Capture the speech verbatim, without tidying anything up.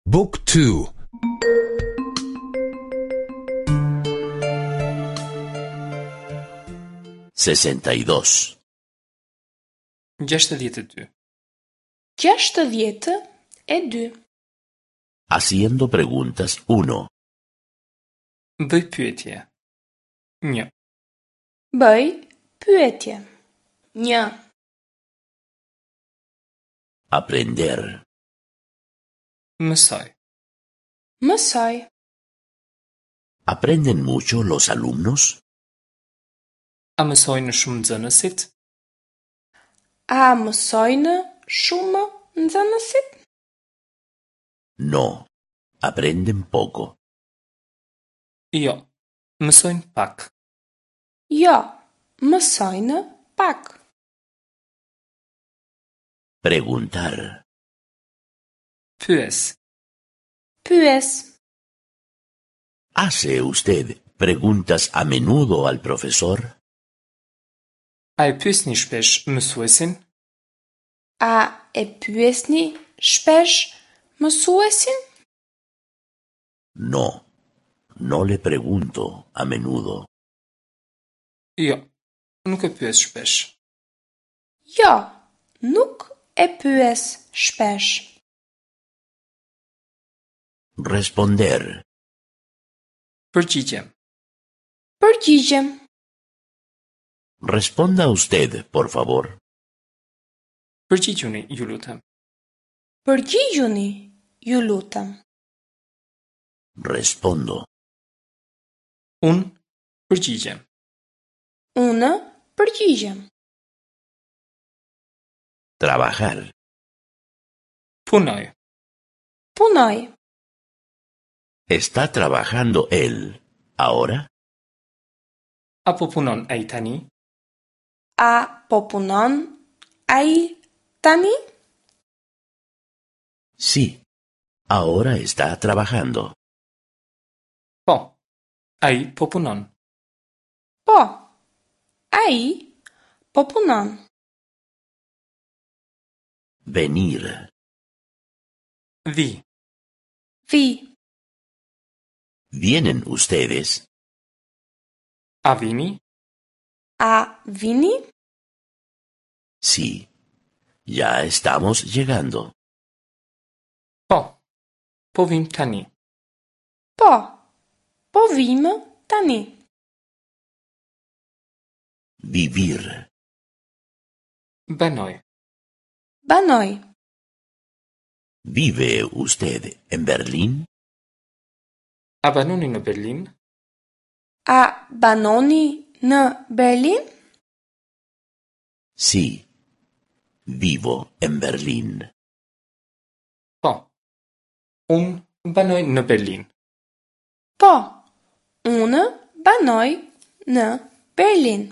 Book two. sesenta y dos. Gjashtëdhjetë e dy. Gjashtëdhjetë e dy. Haciendo preguntas uno. Bëj pyetje. Një. Bëj pyetje. Një. Aprender. Mësoj. Mësoj. ¿Aprenden mucho los alumnos? A mësojnë shumë nxënësit? A mësojnë shumë nxënësit? No, aprenden poco. Jo, mësojnë pak. Jo, mësojnë pak. Preguntar. Pyes. Pyes. ¿Hace usted preguntas a menudo al profesor? A e pyesni shpesh mësuesin? A e pyesni shpesh mësuesin? No, no le pregunto a menudo. Jo, nuk e pyes shpesh. Jo, nuk e pyes shpesh. Responder. Përgjigjem. Përgjigjem. Responda usted, por favor. Përgjigjuni, ju lutem. Përgjigjuni, ju lutem. Respondo. Unë përgjigjem. Unë përgjigjem. Trabajar. Punoj. Punoj. ¿Está trabajando él ahora? A po punon ai tani? A po punon ai tani? Sí, ahora está trabajando. Po, ai po punon. Po, ai po punon. Venir. Vi. Vi. ¿Vienen ustedes? A vini? A vini? Sí, ya estamos llegando. Po, po vim tani. Po, po vim tani. Vivir. Banoj. Banoj. ¿Vive usted en Berlín? A banoni në Berlin? A banoni në Berlin? Sí, vivo en Berlín. Po, unë banoj në Berlin. Po, unë banoj në Berlin.